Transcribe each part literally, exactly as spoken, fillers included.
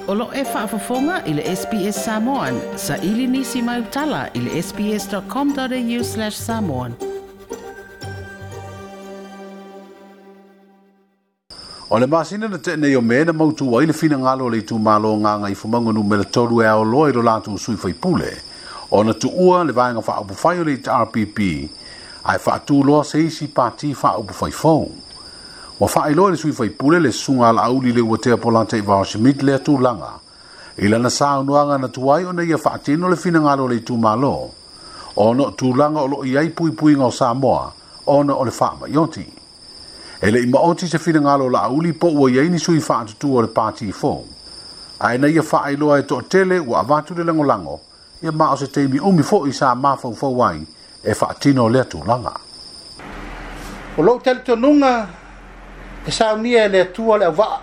O lo e faafofoga i le S B S Samoan, sa ili nisi mai utala i le sbs.com.au slash samoan. O le masina na tene o mea na mautu ai le finagalo le itumalo nganga i fumango numera tolu e aoloa i lo latu sui faipule. O na tuua le vaenga whaupufai o le R P P, ai whaatuloa se isi pati whaupufai fou. Wa whaailoa le sui faipule le sunga la auli le uatea polante i vao Smith le tulaga. I lana saunoaga na tuai ona ia whaatino le finagalo le itumalo. Ona o tulaga o lo iai puipuiga o Samoa, ona o le whaamaioti. E le ima oti se finagalo la auli po ua iai ni sui whaatutua o le pati fou. Ae na ia whaailoa e toatele ua avatu le langolango, ia maa o se teimi umi fo i sa mafaufau ai e whaatino lea tulaga. O lou talitonuga e saunia e le Atua le auvaa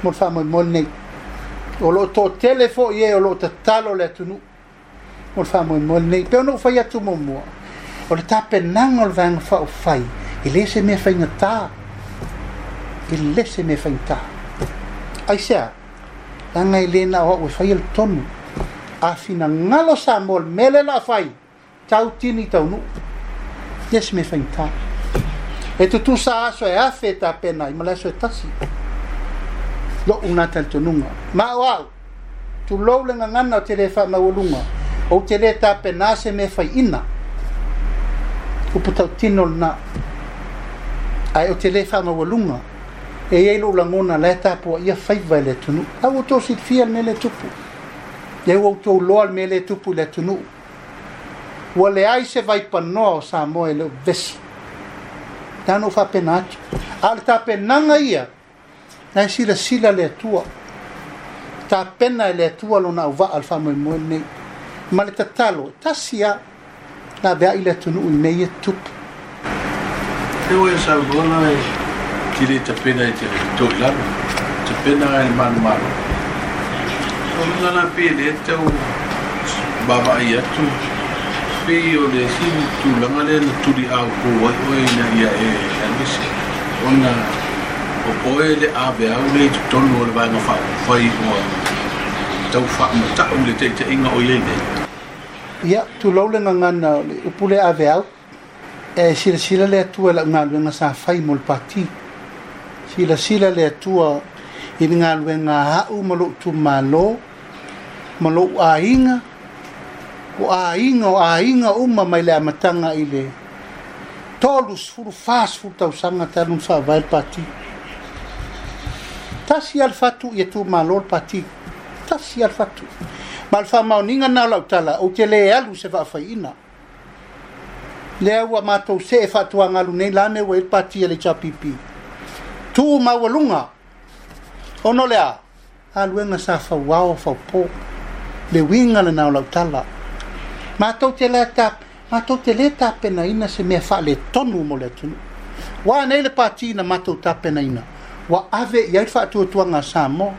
mo le faamoemoe lenei. O loo toatele foʻi e o loo tatalo le atunuu mo le faamoemoe lenei. Pe ona ou fai atu muamua, o le tapenaga o le vaega faaufai e lē se mea faigatā, e lē se mea faigatā. Aisea, leaga e lē na o au e faia le tonu. A finagalo Samoa le mea lea la fai, tautini taunuu, lē se mea faigatā. E tutusa aso e afe e tapena ai ma le aso e tasi. Lo'u na talitonuga. Ma o au, tulou le gagana o te lē faamaualuga, ou te lē tapenā se mea faiʻina. Upu tautino lenā. Ae o te lē faamaualuga, e iai lo'u lagona la e tapuaʻia faiva e le atunuu. Au outou silafia le mea le tupu. Ia ua outou loa le mea le tupu i le atunuu. Ua leai se vaipanoa o Samoa e le o vesi. Tano faapena atu. A o le tapenaga ia, na e silasila le Atua. Tapena e le Atua lona auvaa le faamoemoe lenei. Ma le tatalo, e tasi a, la veai le atunuu i mea ia tupu. E oe saunoa e tile tapena e te toi lalo, tapena e le manumalo. O le ngana pe le tau vavaai atu, pe o le sini tulaga lea na tuli au ko ai oe ina ia e aluese. Ona o oe le ave au le i totonu o le vaega faaupufai ua tau faamatau le taitaiga o iai nei. Ia, tulou le gagana o le upu le ave au, e silasila le Atua i lau galuega sa fai mo le pati. Silasila le Atua i le galuega aʻu ma lou itumalo, ma lou aiga, o aiga o aiga uma mai le amataga i le tolu sefulu fa sefulu tausaga talu na faavae le pati. Tasi a le fatu ia tumalo le pati. Tasi a le fatu. Ma le faamaoniga na o lau tala, ou te lē alu se faafaiʻina. Lea ua matou see faatuagalu nei la me ua i le pati a le H R P P. Tu maualuga. Ono lea, aluega sa fauao faupō. Le uiga lenā o lau tala. Matou te lē tap, matou te lē tapenaina se mea faaletonu mo le atunuu. Ua nei le pati na matou tapenaina. Ua ave i ai le faatuatuaga a Samoa.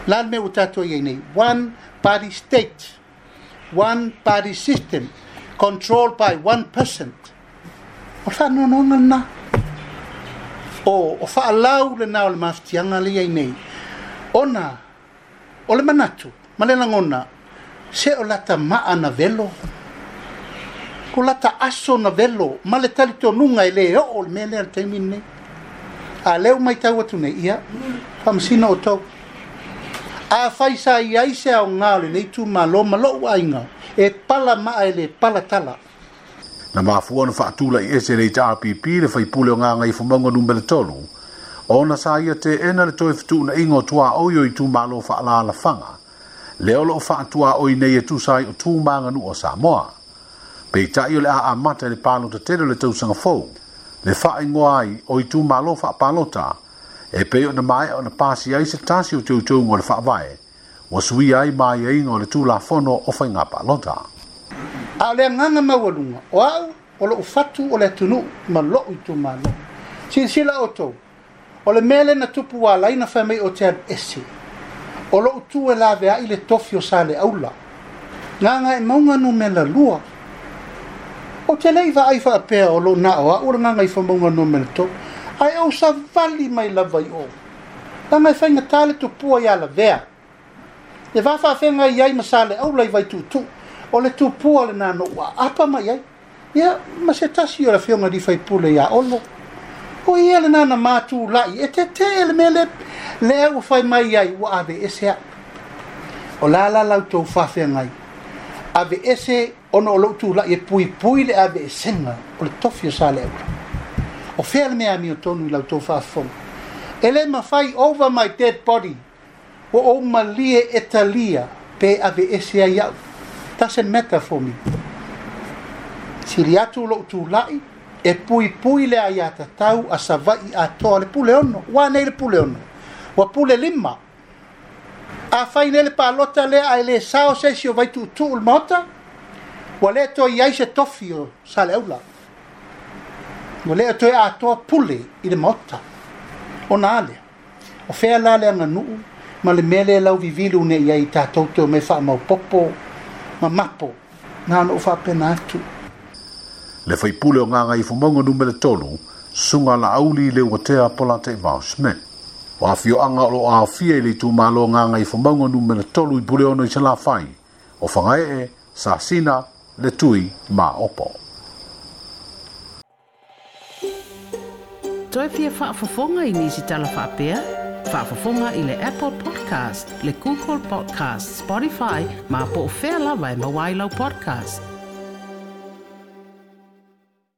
La le mea ua tatou iai nei. One party state. One party system. Controlled by one person. O le faanoanoaga lenā. O, o faalau lenā o le mafatiaga le iai nei. Ona, o le manatu, ma le lagona, se o lata maa na velo, ko lata aso na velo, ma le talitonuga e lē oo le mea lea le taimi lenei. A leu mai tau atu nei, ia, faamasina outou. A fai sa iai se aogā o lenei itumalo ma lou aiga, e pala maa e le pala tala. Na mafua na faatula i ese le H R P P le faipule o nganga i fumaunga numera tolu, ona sa ia te ena le toe fituuna ingo tua oio i tumalo faalaalafanga. Le olo o faatua oi nei e tusa ai o tūmāga nuu o Samoa. Peitai o le a amata le palota tele o le tausaga fou, le whaingoa ai o i tūmalo faapalota, e pei o na mai o na pasi ai se tasi o teuteuga o le faavae, ua suia ai mai aiga o le Tulafono o Faiga Palota. A o le agaga maualuga, o au o lou fatu o le atunuu ma lou itumalo. Silasila outou, o le mea lea na tupu ua ala ai na fai mai o te alu ese. O lou tu e laveai le tofi o sa le aula. Gaga e mauga numera lua. O te lei vaai faapea o lou na o au o le gaga i famauga numera tolu. Ae ou savali mai lava i o. Leaga e faigata le tupua ia lavea. Le va faafeagai ai ma Saleaula i Vaituutuu, o le tupua lenā na ou aapa mai ai. Ia, ma se tasi o le afioga i faipule ia Olo. O ia lenā na matulai, e tetee le mea le, lea ua fai mai ai, ua ave ese au. O la la lau tou faafeagai, ave ese ona o lou tulai e puipui le ave esega o le tofi o Saleaula. O fea le mea amiotonu i lau tou faafofoga. E le mafai over my dead body, ua ou malie e talia pe ave ese ai au. Doesn't matter for me. Sili atu lou tulai, e puipui le aiatatau a Savaii atoa le pule ono. Ua nei le pule ono. Ua pule lima. A fai nei le palota lea ae le sao se isi o Vaituutuu le maota, ua le toe i ai se tofi o Saleaula. Ua le toe atoa pule i le maota. Ona a lea. O fea la le aganuu ma le mea lea lau vivilu nei i ai tatou te o me faamaopopo ma mapo. Na ona ou faapena atu. Le faipule o Gagaifomauga numera tolu, Susuga Laauli Leuatea Polataivao Schmidt. O afioaga o loo aofia i le itumalo Gagaifomauga numera tolu i Puleono i Salafai, o Fagaee, Sasina, le Tui ma Opo. Toe fia faafofoga i nisi tala faapea? Faafofoga i le Apple Podcast, le Google Podcast, Spotify, ma po o fea lava e maua ai lau podcast.